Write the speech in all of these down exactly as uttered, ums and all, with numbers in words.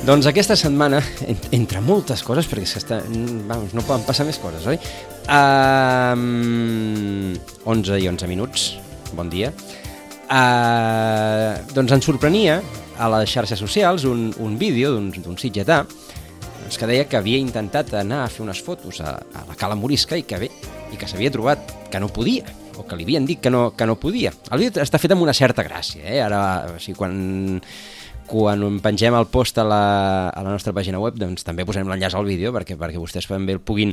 Doncs aquesta setmana, entre moltes coses, perquè és que està, vamos, no poden passar més coses, oi? Um, onze i onze minuts, bon dia. Uh, doncs ens sorprenia a les xarxes socials un, un vídeo d'un sitgetà que deia que havia intentat anar a fer unes fotos a, a la Cala Morisca i que, bé, i que s'havia trobat que no podia, o que li havien dit que no, que no podia. El vídeo està fet amb una certa gràcia, eh? Ara, o sigui, quan... quan pengem el post a la, a la nostra pàgina web, doncs també posarem l'enllaç al vídeo perquè, perquè vostès també el puguin,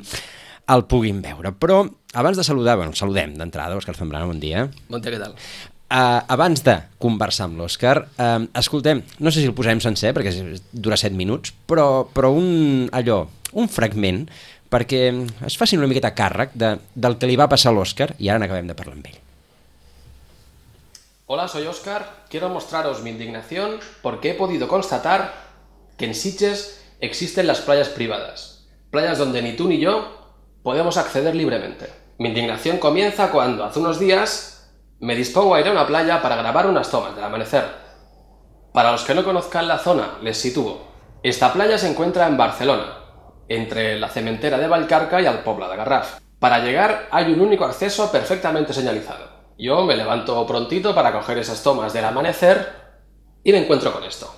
el puguin veure. Però abans de saludar, bueno, saludem d'entrada, Òscar Zambrano, bon dia. Bon dia, què tal? Uh, abans de conversar amb l'Òscar, uh, escoltem, no sé si el posarem sencer perquè dura set minuts, però, però un, allò, un fragment perquè es facin una miqueta càrrec de, del que li va passar a l'Òscar i ara n'acabem de parlar amb ell. Hola, soy Óscar. Quiero mostraros mi indignación porque he podido constatar que en Sitges existen las playas privadas. Playas donde ni tú ni yo podemos acceder libremente. Mi indignación comienza cuando, hace unos días, me dispongo a ir a una playa para grabar unas tomas del amanecer. Para los que no conozcan la zona, les sitúo. Esta playa se encuentra en Barcelona, entre la cementera de Vallcarca y el Pobla de Garraf. Para llegar hay un único acceso perfectamente señalizado. Yo me levanto prontito para coger esas tomas del amanecer y me encuentro con esto.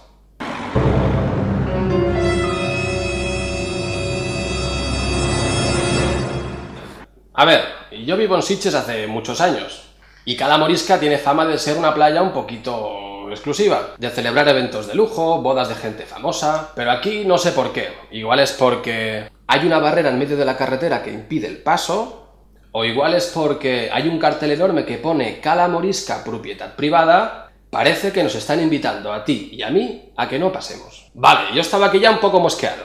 A ver, yo vivo en Sitges hace muchos años y Cala Morisca tiene fama de ser una playa un poquito exclusiva, de celebrar eventos de lujo, bodas de gente famosa, pero aquí no sé por qué. Igual es porque hay una barrera en medio de la carretera que impide el paso, o igual es porque hay un cartel enorme que pone Cala Morisca, propiedad privada. Parece que nos están invitando a ti y a mí a que no pasemos. Vale, yo estaba aquí ya un poco mosqueado.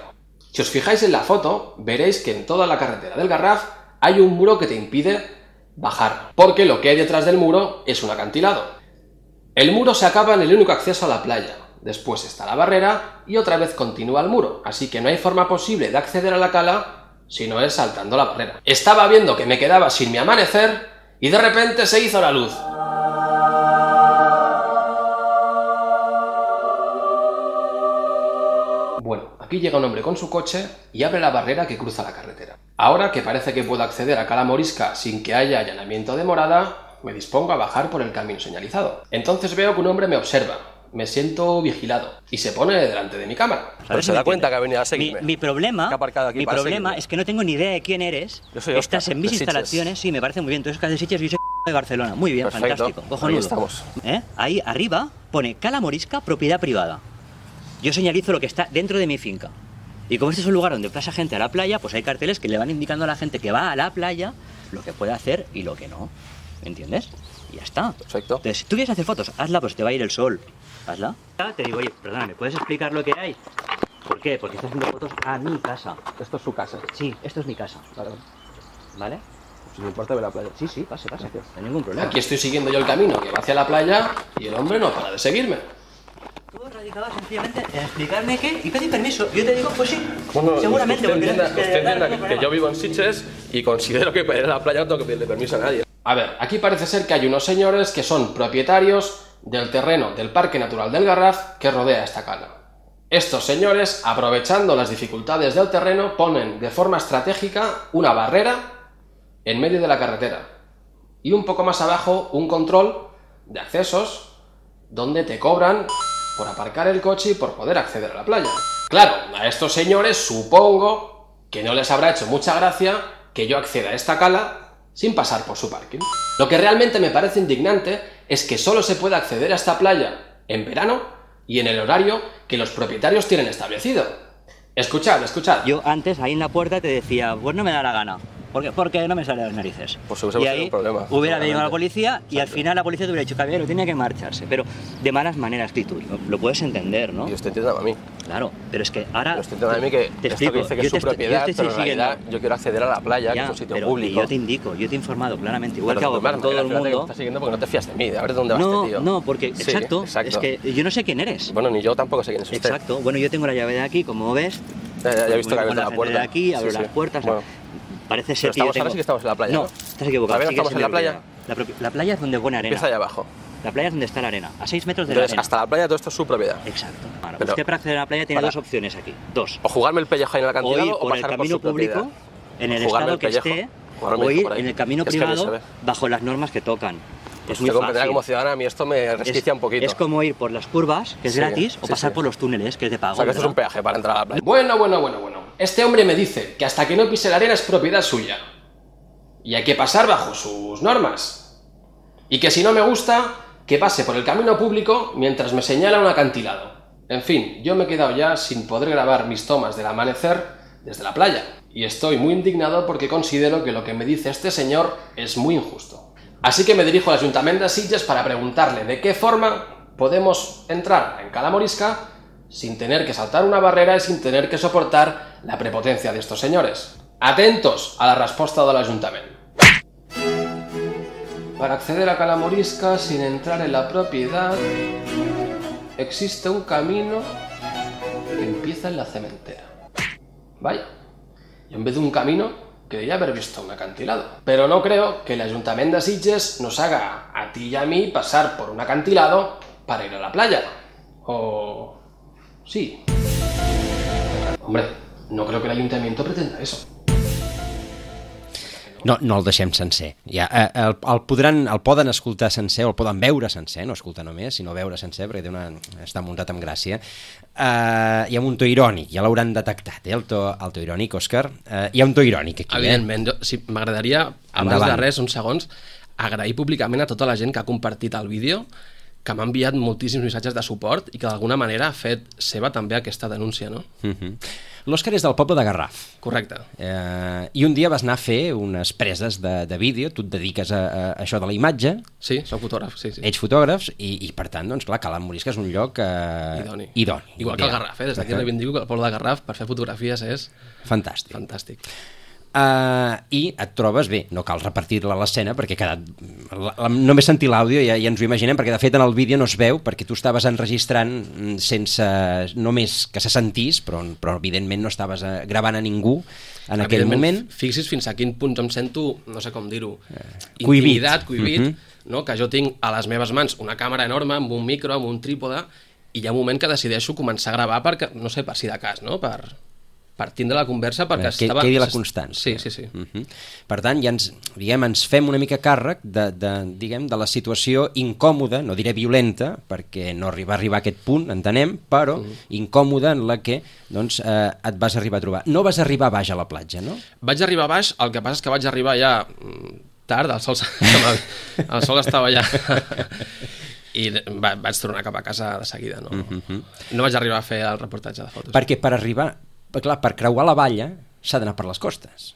Si os fijáis en la foto, veréis que en toda la carretera del Garraf hay un muro que te impide bajar, porque lo que hay detrás del muro es un acantilado. El muro se acaba en el único acceso a la playa, después está la barrera y otra vez continúa el muro, así que no hay forma posible de acceder a la cala si no es saltando la barrera. Estaba viendo que me quedaba sin mi amanecer y de repente se hizo la luz. Bueno, aquí llega un hombre con su coche y abre la barrera que cruza la carretera. Ahora que parece que puedo acceder a Cala Morisca sin que haya allanamiento de morada, me dispongo a bajar por el camino señalizado. Entonces veo que un hombre me observa. Me siento vigilado y se pone delante de mi cámara. Pero se da cuenta que ha venido a seguirme. Mi, mi problema, aquí mi problema es que no tengo ni idea de quién eres. Yo soy Óscar, Estás en mis instalaciones, sí, me parece muy bien. Tú eres de Sitges y yo soy de Barcelona. Muy bien, perfecto, fantástico. Cojonudo. Ahí estamos. ¿Eh? Ahí arriba pone Cala Morisca, propiedad privada. Yo señalizo lo que está dentro de mi finca. Y como este es un lugar donde pasa gente a la playa, pues hay carteles que le van indicando a la gente que va a la playa lo que puede hacer y lo que no. ¿Me entiendes? Y ya está. Perfecto. Entonces, si tú quieres hacer fotos, hazla, pues te va a ir el sol. Hazla. Te digo, oye, perdona, ¿me puedes explicar lo que hay? ¿Por qué? Porque estoy haciendo fotos a mi casa. Esto es su casa. Sí, esto es mi casa. Claro. ¿Vale? Si me importa ver la playa. Sí, sí, pase, pase. No hay ningún problema. Aquí estoy siguiendo yo el camino que va hacia la playa y el hombre no para de seguirme. Tú radicabas sencillamente en explicarme qué y pedir permiso. Yo te digo, pues sí, Bueno, seguramente. Usted entienda, porque usted entienda que, que yo vivo en Sitges y considero que para ir a la playa no tengo que pedirle permiso a nadie. A ver, aquí parece ser que hay unos señores que son propietarios del terreno del Parque Natural del Garraf que rodea esta cala. Estos señores, aprovechando las dificultades del terreno, ponen de forma estratégica una barrera en medio de la carretera y un poco más abajo un control de accesos donde te cobran por aparcar el coche y por poder acceder a la playa. Claro, a estos señores supongo que no les habrá hecho mucha gracia que yo acceda a esta cala sin pasar por su parking. Lo que realmente me parece indignante es que solo se puede acceder a esta playa en verano y en el horario que los propietarios tienen establecido. Escuchad, escuchad. Yo antes ahí en la puerta te decía, pues no me da la gana. ¿Por qué? Porque no me sale de las narices. Pues hubiese y ahí un problema, hubiera venido la policía y exacto. Al final la policía te hubiera dicho, caballero, tiene que marcharse. Pero de malas maneras, que tú lo, lo puedes entender, ¿no? Y usted entiende a mí. Claro, pero es que ahora... Pero usted entiende a mí que te esto explico, que dice que yo es su te estoy- propiedad, yo te pero estoy en realidad siguiendo. yo quiero acceder a la playa, Ya, que es un sitio pero público. yo te indico, yo te he informado claramente, igual Pero que hago de todas con todo el maneras, fíjate que me mundo. estás siguiendo porque no te fías de mí, de a ver de dónde va No, este tío. no, porque, Sí, exacto, exacto. es que yo no sé quién eres. Bueno, ni yo tampoco sé quién es usted. Exacto, bueno, yo tengo la llave de aquí, como ves. Ya, ya, ya he visto que Voy ha con abierto la puerta. de aquí, abro Sí, las sí. puertas. Bueno. Parece ser Pero que yo estamos, tengo... ahora sí que estamos en la playa, No, ¿no? estás equivocado. ¿Todavía no sigues estamos en la mi playa? propiedad. La, propi- la playa es donde es buena arena. Empieza allá abajo. La playa es donde está la arena, a seis metros de Entonces, la arena. hasta la playa todo esto es su propiedad. Exacto. Bueno, Pero- usted para acceder a la playa tiene para- dos opciones aquí. Dos. O jugarme el pellejo ahí en el O acantilado ir o por el pasar por camino su propiedad. público, en el Jugarme estado el que pellejo, esté, jugarme o el ir por ahí. en el camino Es que ni se privado ve. bajo las normas que tocan. Es muy Usted comprenderá fácil. como ciudadana, a mí esto me resquicia un poquito. Es como ir por las curvas, que es Sí, gratis, o sí, pasar sí. por los túneles, que es de pago. O sea, que esto es un ¿verdad? peaje para entrar a la playa. Bueno, bueno, bueno, bueno. Este hombre me dice que hasta que no pise la arena es propiedad suya. Y hay que pasar bajo sus normas. Y que si no me gusta, que pase por el camino público mientras me señala un acantilado. En fin, yo me he quedado ya sin poder grabar mis tomas del amanecer desde la playa. Y estoy muy indignado porque considero que lo que me dice este señor es muy injusto. Así que me dirijo al Ayuntamiento de Sitges para preguntarle de qué forma podemos entrar en Cala Morisca sin tener que saltar una barrera y sin tener que soportar la prepotencia de estos señores. Atentos a la respuesta del Ayuntamiento. Para acceder a Cala Morisca sin entrar en la propiedad, existe un camino que empieza en la cementera. Vaya, y en vez de un camino, creía haber visto un acantilado. Pero no creo que el Ayuntamiento de Sitges nos haga a ti y a mí pasar por un acantilado para ir a la playa. O... sí. Hombre, no creo que el Ayuntamiento pretenda eso. No, no el deixem sencer. Ja, eh, el, el, podran, el poden escoltar sencer, o el poden veure sencer, no escoltar només, sinó veure sencer, perquè té una, està muntat amb gràcia. Uh, hi ha un to irònic, ja l'hauran detectat, eh, el, to, el to irònic, Òscar. Uh, hi ha un to irònic aquí. Evidentment, jo, sí, m'agradaria, abans Endavant. de res, uns segons, agrair públicament a tota la gent que ha compartit el vídeo, que m'ha enviat moltíssims missatges de suport i que d'alguna manera ha fet seva també aquesta denúncia, no? Uh -huh. L'Òscar és del poble de Garraf. Correcte. Eh, I un dia vas anar a fer unes preses de, de vídeo, tu et dediques a, a això de la imatge, Sí, soc fotògraf, sí, sí. ets fotògrafs, i, i per tant, doncs clar, Cala Morisca és un lloc eh, Idoni. idoni. Igual que el Garraf, eh? Des d'aquí reivindico que el poble de Garraf per fer fotografies és Fantàstic. fantàstic. Uh, I et trobes bé, no cal repartir-la a l'escena perquè ha quedat... La, la, només sentir l'àudio ja, ja ens ho imaginem, perquè de fet en el vídeo no es veu perquè tu estaves enregistrant sense només que se sentís, però, però evidentment no estaves uh, gravant a ningú en aquell Evidentment, moment. Fixis fins a quin punt em sento, no sé com dir-ho, Cohibit. intimidat, cohibit, Mhm. no? Que jo tinc a les meves mans una càmera enorme amb un micro, amb un trípode, i hi ha un moment que decideixo començar a gravar perquè, no sé, per si de cas, no? Per, per tindre la conversa perquè que estava... quedi la constància. Sí, sí, sí. Uh -huh. Per tant, ja ens, diguem, ens fem una mica càrrec de, de, diguem, de la situació incòmoda, no diré violenta, perquè no arriba a arribar a aquest punt, entenem, però uh -huh. incòmoda en la que doncs, eh, et vas arribar a trobar. No vas arribar baix a la platja, no? Vaig arribar a baix, el que passa és que vaig arribar ja mm, tard, el sol, el sol estava ja... I va, vaig tornar cap a casa de seguida, no? Uh-huh. No vaig arribar a fer el reportatge de fotos. Perquè per arribar, clar, per creuar la valla s'ha d'anar per les costes.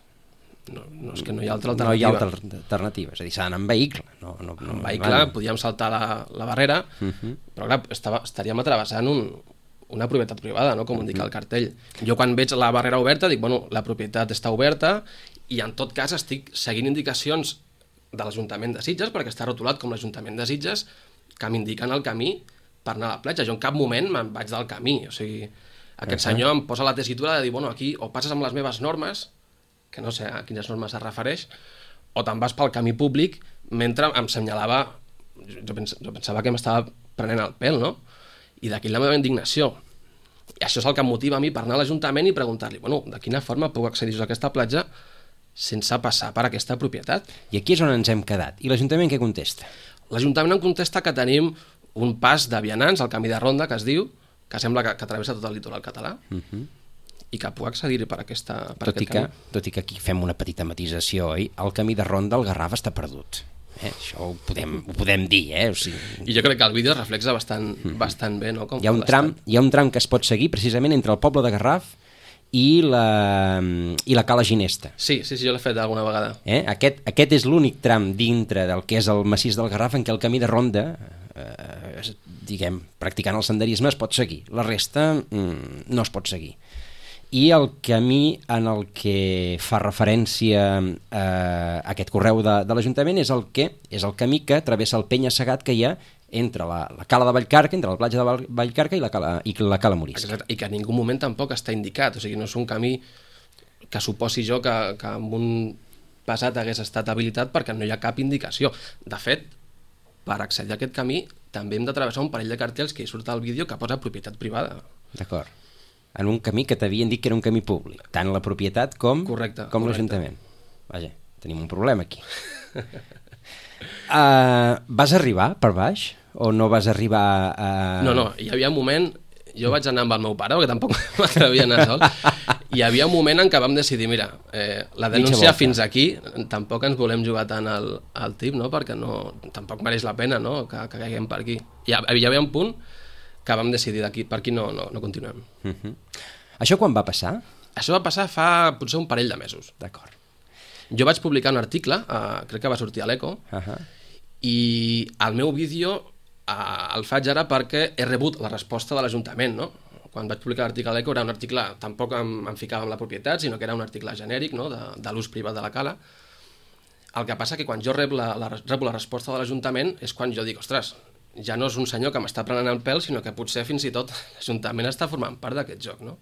No, no, és que no hi ha altra No hi alternativa. ha altra alternativa, és a dir, s'ha d'anar en vehicle. No, no, no, En vehicle vale. podíem saltar la, la barrera, uh -huh. però clar, estava, estaríem atravessant un, una propietat privada, no? Com uh -huh. indica el cartell. Jo quan veig la barrera oberta dic, bueno, la propietat està oberta i en tot cas estic seguint indicacions de l'Ajuntament de Sitges, perquè està rotulat com l'Ajuntament de Sitges, que m'indiquen el camí per anar a la platja. Jo en cap moment me'n vaig del camí, o sigui, aquest uh -huh. senyor em posa la tessitura de dir, bueno, aquí o passes amb les meves normes, que no sé a quines normes es refereix, o te'n vas pel camí públic mentre em senyalava, jo, pens jo pensava que m'estava prenent el pèl, no? I d'aquí la meva indignació. I això és el que em motiva a mi per anar a l'Ajuntament i preguntar-li, bueno, de quina forma puc accedir a aquesta platja sense passar per aquesta propietat? I aquí és on ens hem quedat. I l'Ajuntament què contesta? L'Ajuntament em contesta que tenim un pas de vianants, el camí de ronda, que es diu, que sembla que, que travessa tot el litoral català, Uh -huh. i que puc accedir per, aquesta, per tot, i aquest que, camí. tot i que aquí fem una petita matisació, oi? El camí de ronda al Garraf està perdut. Eh? Això ho podem, ho podem dir, eh? O sigui, I jo crec que el vídeo es reflexa bastant, bastant bé, no? Com hi ha un tram, hi ha un tram que es pot seguir precisament entre el poble de Garraf i la, i la Cala Ginesta. Sí, sí, sí, jo l'he fet alguna vegada. Eh? Aquest, aquest és l'únic tram dintre del que és el massís del Garraf en què el camí de ronda, eh, diguem, practicant el senderisme es pot seguir. La resta mm, no es pot seguir. I el camí en el que fa referència eh, a aquest correu de, de l'Ajuntament és el que és el camí que travessa el penya-segat que hi ha entre la, la cala de Vallcarca, entre la platja de Val- Vallcarca i la cala, i la cala Morisca. Exacte, i que en ningú moment tampoc està indicat, o sigui, no és un camí que suposi jo que, que en un passat hagués estat habilitat perquè no hi ha cap indicació. De fet, per accedir a aquest camí també hem de travessar un parell de cartells que hi surt al vídeo que posa propietat privada. D'acord. En un camí que t'havien dit que era un camí públic, tant la propietat com, correcte, com correcte. l'Ajuntament. Vaja, tenim un problema aquí. uh, vas arribar per baix? O no vas arribar a... No, no, hi havia un moment... Jo vaig anar amb el meu pare, perquè tampoc m'atrevia a anar sol. Hi havia un moment en què vam decidir, mira, eh, la denúncia fins aquí, tampoc ens volem jugar tant al, al tip, no? Perquè no, tampoc mereix la pena, no? que, que caiguem per aquí. Hi, hi havia un punt que vam decidir d'aquí, per aquí no, no, no continuem. Uh-huh. Això quan va passar? Això va passar fa potser un parell de mesos. D'acord. Jo vaig publicar un article, eh, crec que va sortir a l'Eco, uh-huh. i el meu vídeo eh, el faig ara perquè he rebut la resposta de l'Ajuntament, no? Quan vaig publicar l'article a l'Eco era un article, tampoc em, em ficava en la propietat, sinó que era un article genèric, no? de, de l'ús privat de la cala. El que passa que quan jo rebo la, la, rebo la resposta de l'Ajuntament és quan jo dic, ostres, ja no és un senyor que m'està prenent el pèl, sinó que potser fins i tot l'Ajuntament està formant part d'aquest joc, no?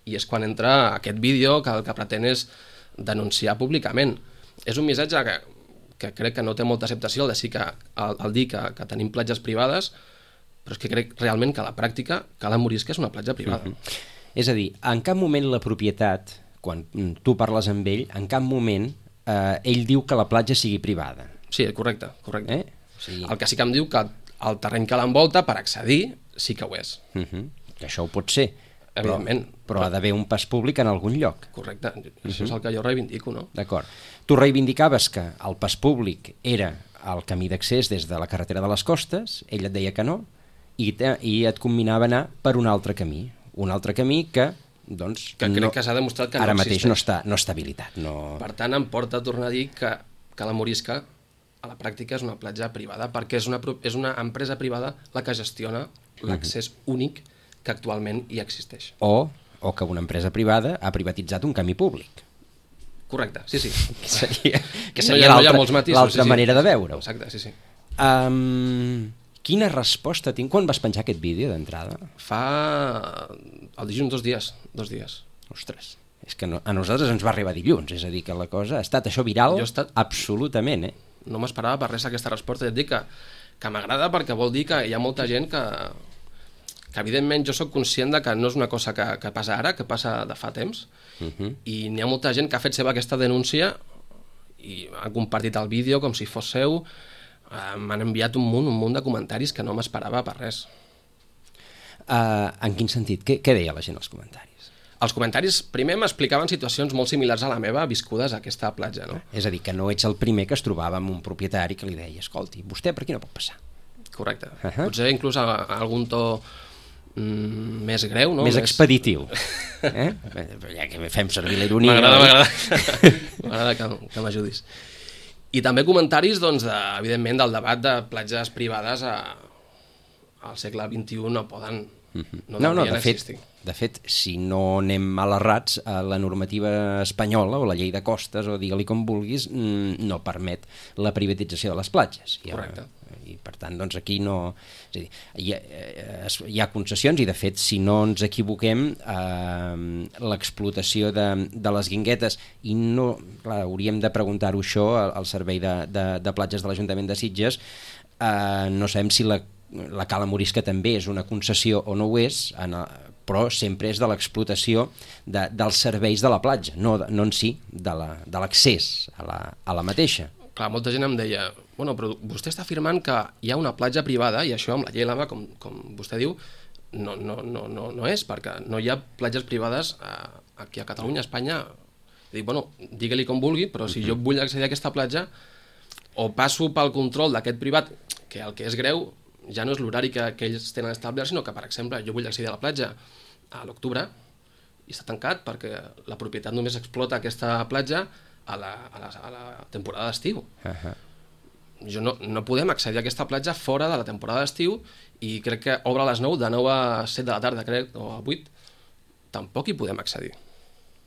I és quan entra aquest vídeo que el que pretén és denunciar públicament. És un missatge que, que crec que no té molta acceptació el de sí que, el, el dir que, que tenim platges privades, però és que crec realment que a la pràctica Cala Morisca és una platja privada. Uh-huh. És a dir, en cap moment la propietat, quan tu parles amb ell, en cap moment eh, ell diu que la platja sigui privada. Sí, correcte, correcte. Eh? O sigui... El que sí que em diu que el terreny que l'envolta, per accedir, sí que ho és. Uh-huh. Que això ho pot ser. Evidentment. Però, però ha d'haver un pas públic en algun lloc. Correcte, això és el que jo reivindico, no? D'acord. Tu reivindicaves que el pas públic era el camí d'accés des de la carretera de les Costes, ell et deia que no, i, te, i et combinava anar per un altre camí. Un altre camí que, doncs... Que crec no, que s'ha demostrat que ara no mateix existeix. no està, no està habilitat. No... Per tant, em porta a tornar a dir que, que la Morisca, a la pràctica, és una platja privada, perquè és una, és una empresa privada la que gestiona l'accés uh-huh. únic que actualment hi existeix. O, o que una empresa privada ha privatitzat un camí públic. Correcte, sí, sí. Que seria, que no seria hi ha, l'altra no sí, sí. manera de veure-ho. Exacte, sí, sí. Um, quina resposta tinc? Quan vas penjar aquest vídeo d'entrada? Fa... el dilluns, dos dies. Dos dies. Ostres, és que no, a nosaltres ens va arribar dilluns, és a dir, que la cosa ha estat això viral estat... absolutament, eh? No m'esperava per res aquesta resposta, ja et dic que, que m'agrada perquè vol dir que hi ha molta gent que, que evidentment jo sóc conscient de que no és una cosa que, que passa ara, que passa de fa temps, uh-huh. i n'hi ha molta gent que ha fet seva aquesta denúncia i ha compartit el vídeo com si fos seu, eh, m'han enviat un munt, un munt de comentaris que no m'esperava per res. Uh, en quin sentit? Què, què deia la gent als comentaris? Els comentaris primer m'explicaven situacions molt similars a la meva viscudes a aquesta platja, no? És a dir, que no ets el primer que es trobava amb un propietari que li deia, escolti, vostè per aquí no pot passar. Correcte. Uh-huh. Potser inclús a, a algun to mm, més greu, no? Més, més... expeditiu. eh? Ja que fem servir la ironia. M'agrada, m'agrada. M'agrada que, que m'ajudis. I també comentaris, doncs, de, evidentment, del debat de platges privades a, al segle vint-i-u no poden... No, no, no, de fet, de fet, si no anem mal errats, la normativa espanyola o la llei de costes, o digue-li com vulguis, no permet la privatització de les platges. Correcte. I per tant, doncs aquí no... És a dir, hi ha, hi ha concessions i, de fet, si no ens equivoquem, eh, l'explotació de, de les guinguetes, i no, clar, hauríem de preguntar-ho això al Servei de, de, de Platges de l'Ajuntament de Sitges, eh, no sabem si la la Cala Morisca també és una concessió o no ho és, en el, però sempre és de l'explotació de, dels serveis de la platja, no, no en si de l'accés a, la, a la mateixa. Clar, molta gent em deia, bueno, però vostè està afirmant que hi ha una platja privada i això amb la llei Lama, com, com vostè diu, no, no, no, no, no és, perquè no hi ha platges privades eh, aquí a Catalunya, a Espanya. Dic, bueno, digue-li com vulgui, però si jo vull accedir a aquesta platja, o passo pel control d'aquest privat, que el que és greu ja no és l'horari que, que ells tenen establert, sinó que, per exemple, jo vull accedir a la platja a l'octubre i està tancat perquè la propietat només explota aquesta platja a la, a la, a la temporada d'estiu. Uh-huh. Jo no, no podem accedir a aquesta platja fora de la temporada d'estiu i crec que obre a les nou, de nou a set de la tarda, crec, o a vuit, tampoc hi podem accedir.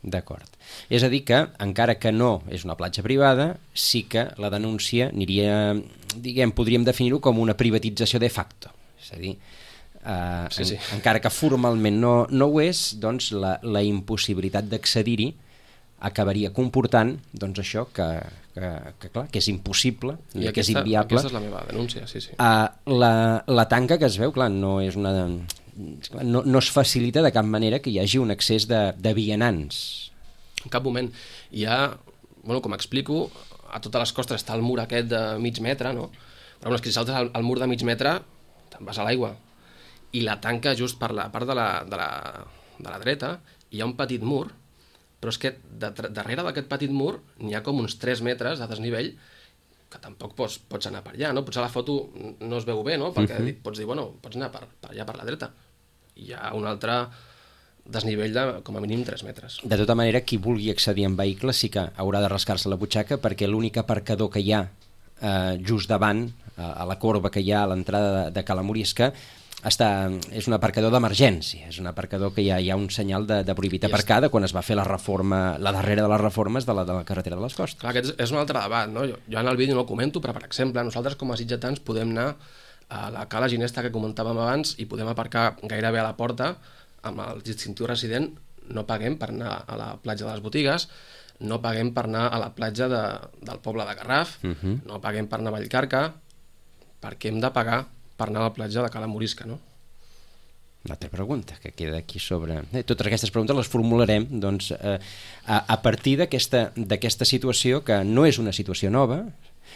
D'acord. És a dir que, encara que no és una platja privada, sí que la denúncia aniria, diguem, podríem definir-ho com una privatització de facto. És a dir, eh, sí, sí. En, encara que formalment no, no ho és, doncs la, la impossibilitat d'accedir-hi acabaria comportant doncs això que, que, que, clar, que és impossible, I que aquesta, és inviable. Aquesta és la meva denúncia, sí, sí. Uh, la, la tanca que es veu, clar, no és una... No, no es facilita de cap manera que hi hagi un excés de, de vianants. En cap moment. Hi ha, bueno, com explico, a totes les costes està el mur aquest de mig metre, no? Però bueno, és que si saltes el, el mur de mig metre, te'n vas a l'aigua. I la tanca just per la part de la, de la, de la dreta hi ha un petit mur, però és que de, darrere d'aquest petit mur n'hi ha com uns tres metres de desnivell que tampoc pots, pots anar per allà, no? Potser la foto no es veu bé, no? Perquè uh-huh. pots dir, bueno, pots anar per, per allà per la dreta. Hi ha un altre desnivell de com a mínim tres metres. De tota manera, qui vulgui accedir en vehicle sí que haurà de rascar-se la butxaca, perquè l'únic aparcador que hi ha eh, just davant, a, a la corba que hi ha a l'entrada de, de Cala Morisca, està, és un aparcador d'emergència, és un aparcador que hi ha, hi ha un senyal de, de prohibit aparcar de quan es va fer la reforma, la darrera de les reformes de la, de la carretera de les Costes. Clar, aquest és un altre debat, no? Jo, jo en el vídeo no el comento, però per exemple, nosaltres com a sitgetans podem anar a la cala ginesta que comentàvem abans i podem aparcar gairebé a la porta amb el distintiu resident, no paguem per anar a la platja de les Botigues, no paguem per anar a la platja de, del poble de Garraf, uh-huh. no paguem per anar a Vallcarca, perquè hem de pagar per anar a la platja de Cala Morisca, no? Una altra pregunta que queda aquí sobre... Eh, totes aquestes preguntes les formularem doncs, eh, a, a partir d'aquesta d'aquesta situació, que no és una situació nova.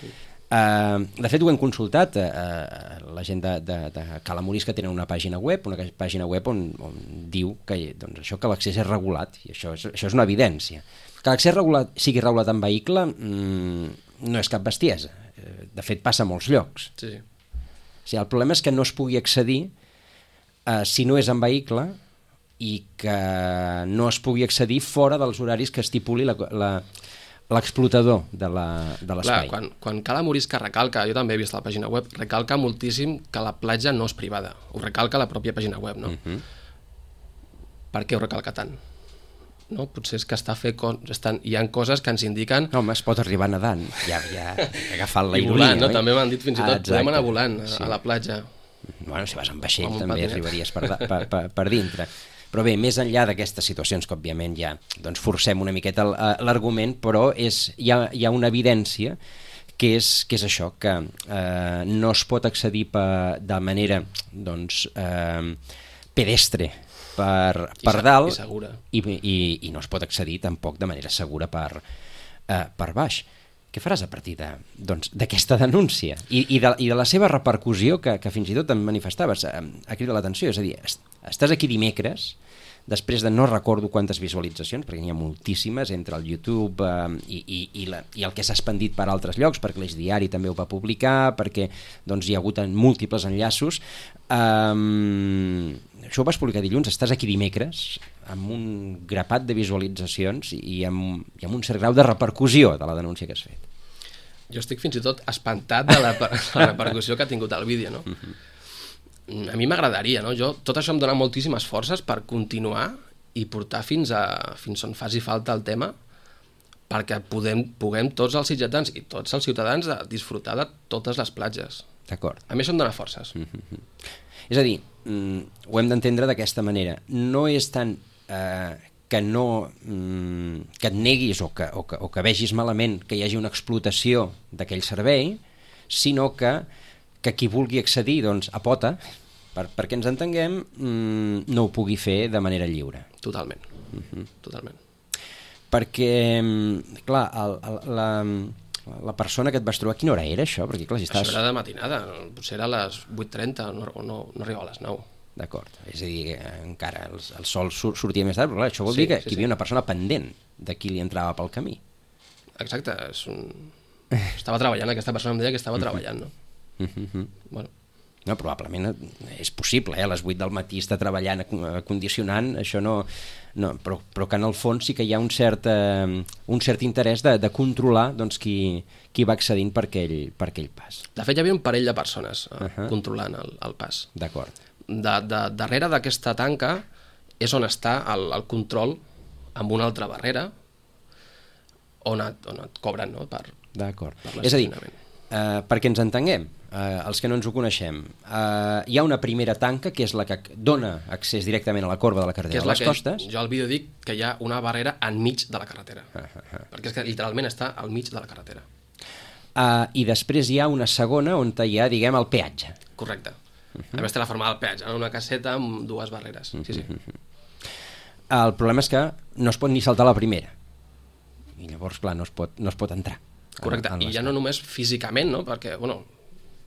Eh, de fet, ho hem consultat. Eh, la gent de, de, de Cala Morisca tenen una pàgina web, una pàgina web on, on diu que, doncs, això, que l'accés és regulat, i això és, això és una evidència. Que l'accés regulat, sigui regulat en vehicle mmm, no és cap bestiesa. De fet, passa a molts llocs. Sí, sí. O sigui, el problema és que no es pugui accedir eh, si no és en vehicle i que no es pugui accedir fora dels horaris que estipuli la, la, l'explotador de l'espai. Quan, quan Cala Morisca recalca, jo també he vist la pàgina web, recalca moltíssim que la platja no és privada. Ho recalca la pròpia pàgina web, no? Uh-huh. Per què ho recalca tant? No? Potser és que està fet con... estan... hi ha coses que ens indiquen... No, home, es pot arribar nedant, ja, ja agafant la I ironia. Volant, no? També m'han dit fins i tot, ah, podem anar volant a, sí. a la platja. Bueno, si vas amb vaixell amb també patinet. Arribaries per, per, per, per dintre. Però bé, més enllà d'aquestes situacions que òbviament ja doncs forcem una miqueta l'argument, però és, hi, ha, hi ha una evidència que és, que és això, que eh, no es pot accedir per, de manera doncs, eh, pedestre per, per I dalt i, segura. I, i, i no es pot accedir tampoc de manera segura per, eh, per baix. Què faràs a partir de, doncs, d'aquesta denúncia I, i, de, i de la seva repercussió que, que fins i tot em manifestaves a, a cridar l'atenció? És a dir, estàs aquí dimecres després de no recordo quantes visualitzacions, perquè n'hi ha moltíssimes entre el YouTube eh, i, i, i, la, i el que s'ha expandit per altres llocs, perquè l'Eix Diari també ho va publicar, perquè doncs, hi ha hagut múltiples enllaços. Um, això ho vas publicar dilluns, estàs aquí dimecres amb un grapat de visualitzacions i amb, i amb un cert grau de repercussió de la denúncia que has fet. Jo estic fins i tot espantat de la, la repercussió que ha tingut el vídeo, no? Uh-huh. A mi m'agradaria, no? Jo, tot això em dona moltíssimes forces per continuar i portar fins, a, fins on faci falta el tema perquè podem, puguem tots els sitgetans i tots els ciutadans de disfrutar de totes les platges. D'acord. A mi això em dona forces. Mm-hmm. És a dir, mm, ho hem d'entendre d'aquesta manera. No és tant eh, que no mm, que et neguis o que, o, que, o que vegis malament que hi hagi una explotació d'aquell servei, sinó que que qui vulgui accedir doncs, a pota, per, perquè ens entenguem, mmm, no ho pugui fer de manera lliure. Totalment. Uh-huh. Totalment. Perquè, clar, el, el, la, la persona que et vas trobar, a quina hora era això? Perquè, clar, si estàs... Això era de matinada, potser era a les vuit trenta, no, no, no arribava a les nou. D'acord, és a dir, encara el, el sol sur, sortia més tard, però clar, això vol sí, dir que, sí, que hi havia sí. una persona pendent de qui li entrava pel camí. Exacte, és un... estava treballant, aquesta persona em deia que estava uh-huh. treballant, no? Uh-huh. Bueno. No, probablement és possible, eh? A les vuit del matí està treballant, condicionant, això no, no però, però que en el fons sí que hi ha un cert, eh, un cert interès de, de controlar doncs, qui, qui va accedint per aquell, per aquell pas. De fet, hi havia un parell de persones eh, uh-huh. controlant el, el pas. D'acord. De, de, darrere d'aquesta tanca és on està el, el control amb una altra barrera on et, on et cobren, no? per, D'acord. per és a dir, Uh, perquè ens entenguem, uh, els que no ens ho coneixem, uh, hi ha una primera tanca que és la que dona accés directament a la corba de la carretera que és de la les que costes. jo al vídeo dic que hi ha una barrera enmig de la carretera, Uh, uh, uh. perquè és que literalment està al mig de la carretera. Uh, I després hi ha una segona on hi ha, diguem, el peatge. Correcte. Uh -huh. A més té la forma del peatge, una caseta amb dues barreres. Sí, sí. El problema és que no es pot ni saltar la primera. I llavors, clar, no es pot, no es pot entrar. Correcte, en, en i ja no només físicament, no? Perquè, bueno,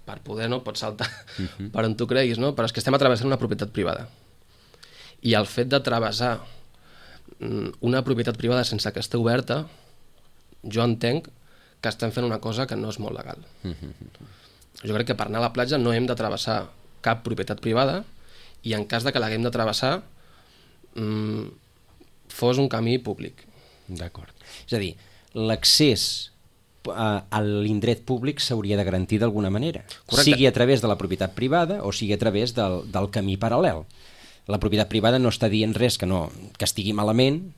per poder no pots saltar uh-huh. per on tu creguis, no? Però és que estem atravessant una propietat privada. I el fet de travessar una propietat privada sense que estigui oberta, jo entenc que estem fent una cosa que no és molt legal. Uh-huh. Jo crec que per anar a la platja no hem de travessar cap propietat privada i en cas de que l'haguem de travessar mmm, fos un camí públic. D'acord. És a dir, l'accés a, a l'indret públic s'hauria de garantir d'alguna manera. Correcte. Sigui a través de la propietat privada o sigui a través del, del camí paral·lel. La propietat privada no està dient res que, no, que estigui malament,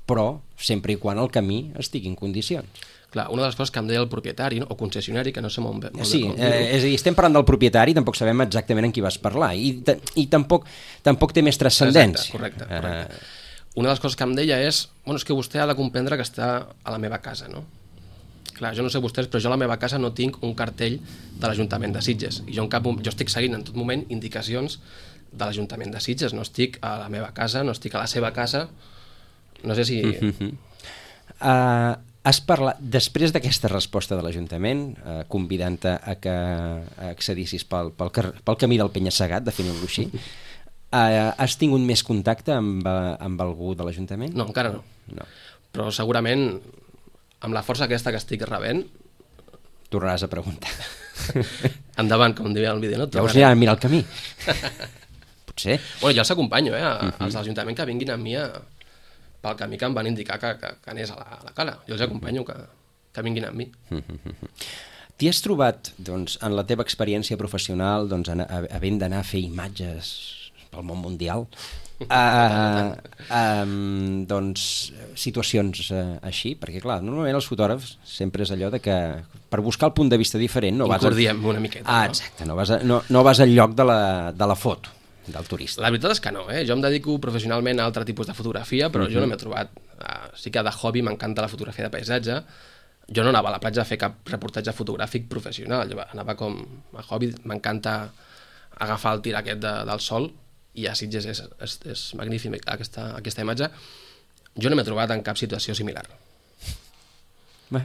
però sempre i quan el camí estigui en condicions. Clar, una de les coses que em deia el propietari, no? O concessionari, que no sé molt bé, molt sí, bé com eh, és a dir, estem parlant del propietari, tampoc sabem exactament en qui vas parlar, i, i tampoc, tampoc té més transcendència. Exacte, correcte, correcte. Uh, una de les coses que em deia és, bueno, és que vostè ha de comprendre que està a la meva casa, no? Clar, jo no sé vostès, però jo a la meva casa no tinc un cartell de l'Ajuntament de Sitges, i jo, en cap, jo estic seguint en tot moment indicacions de l'Ajuntament de Sitges, no estic a la meva casa, no estic a la seva casa, no sé si... Uh-huh. uh, has parlat, després d'aquesta resposta de l'Ajuntament, uh, convidant-te a que accedissis pel, pel, pel camí del Penya-segat, definint-lo així, uh, has tingut més contacte amb, amb algú de l'Ajuntament? No, encara no. no. Però segurament, amb la força aquesta que estic rebent... Tornaràs a preguntar. Endavant, com diria el vídeo, no? Llavors anirà a mirar el camí. Potser. Bueno, jo els acompanyo, eh, a, Uh-huh. als de l'Ajuntament que vinguin amb mi a, pel camí que em van indicar que, que, que anés a la, a la cala. Jo els acompanyo que, que vinguin amb mi. Uh-huh. T'hi has trobat, doncs, en la teva experiència professional, doncs, en, havent d'anar a fer imatges pel món mundial, uh, um, doncs, situacions uh, així? Perquè, clar, normalment els fotògrafs sempre és allò de que per buscar el punt de vista diferent no vas... Incordiem una miqueta. Ah, no? exacte, no vas, a, no, no vas al lloc de la, de la foto del turista. La veritat és que no, eh? Jo em dedico professionalment a altre tipus de fotografia, però uh-huh. jo no m'he trobat... Uh, sí que de hobby m'encanta la fotografia de paisatge. Jo no anava a la platja a fer cap reportatge fotogràfic professional, jo anava com a hobby, m'encanta agafar el tir aquest de, del sol, i a Sitges és, és, és magnífic aquesta, aquesta imatge. Jo no m'he trobat en cap situació similar. Bé,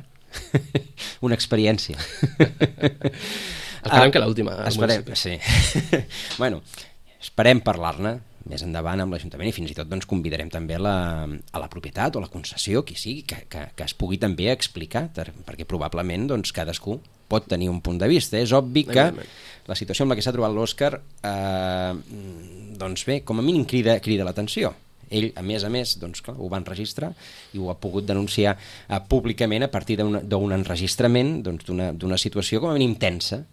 una experiència. Esperem ah, que l'última. Esperem, sí. Bueno, esperem parlar-ne més endavant amb l'Ajuntament i fins i tot doncs, convidarem també la, a la propietat o la concessió, qui sigui, que, que, que es pugui també explicar, perquè probablement doncs, cadascú pot tenir un punt de vista. És obvi que la situació en la que s'ha trobat l'Òscar eh, doncs bé, com a mínim crida, crida l'atenció. Ell, a més a més, doncs, clar, ho va enregistrar i ho ha pogut denunciar eh, públicament a partir d'un enregistrament doncs, d'una situació com a mínim tensa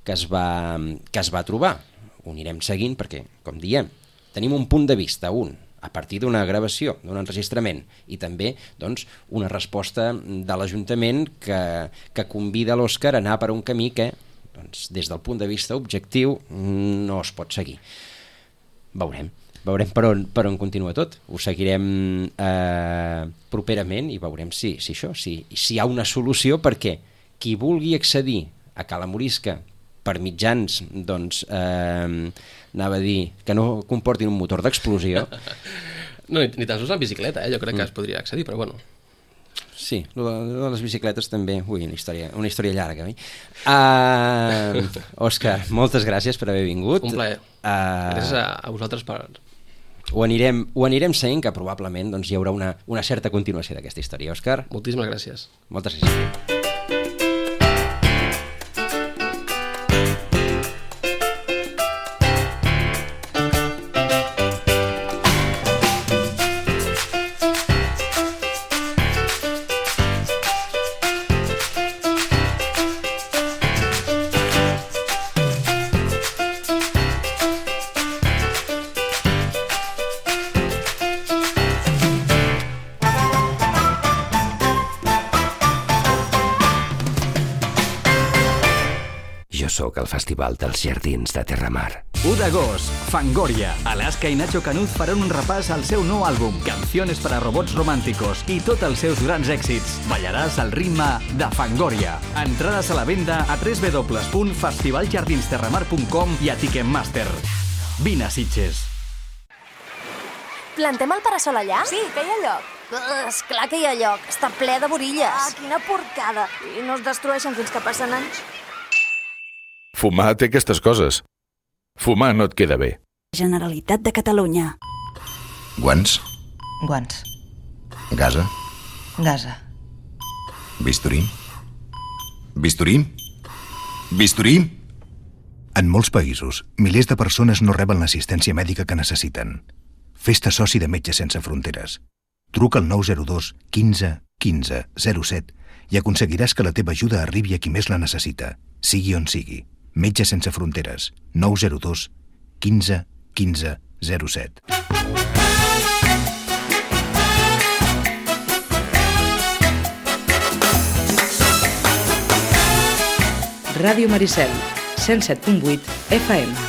que es va, que es va trobar. Ho anirem seguint perquè, com diem, tenim un punt de vista, un, a partir d'una gravació, d'un enregistrament, i també doncs, una resposta de l'Ajuntament que, que convida l'Òscar a anar per un camí que, doncs, des del punt de vista objectiu, no es pot seguir. Veurem. Veurem per on, per on continua tot. Ho seguirem eh, properament i veurem si, si això, si, si hi ha una solució perquè qui vulgui accedir a Cala Morisca per mitjans, doncs, eh, anava a dir, que no comportin un motor d'explosió. No, ni, ni tan sols la bicicleta, eh? Jo crec que es podria accedir, però bueno. Sí, lo de, lo de les bicicletes també, ui, una història, una història llarga, oi? Uh, Òscar, moltes gràcies per haver vingut. Un plaer. Uh, gràcies a, a vosaltres per... Ho anirem, ho anirem seguint, que probablement doncs, hi haurà una, una certa continuació d'aquesta història. Òscar? Moltíssimes gràcies. Moltes gràcies. sóc al Festival dels Jardins de Terramar. u d'agost, Fangoria. Alaska i Nacho Canuz faran un repàs al seu nou àlbum, Canciones para Robots Románticos, i tots els seus grans èxits. Ballaràs al ritme de Fangoria. Entrades a la venda a w w w punt festival jardins terramar punt com i a Ticketmaster. Vine a Sitges. Plantem el parasol allà? Sí, que hi ha lloc. Uh, esclar que hi ha lloc. Està ple de borilles. Ah, quina porcada. I no es destrueixen fins que passen anys. Fumar té aquestes coses. Fumar no et queda bé. Generalitat de Catalunya. Guants. Guants. Gasa. Gasa. Bisturí. Bisturí. Bisturí. En molts països, milers de persones no reben l'assistència mèdica que necessiten. Fes-te soci de Metges Sense Fronteres. Truca al nou zero dos quinze quinze zero set i aconseguiràs que la teva ajuda arribi a qui més la necessita, sigui on sigui. Metges Sense Fronteres. nou zero dos quinze quinze zero set. Ràdio Maricel, cent set punt vuit F M.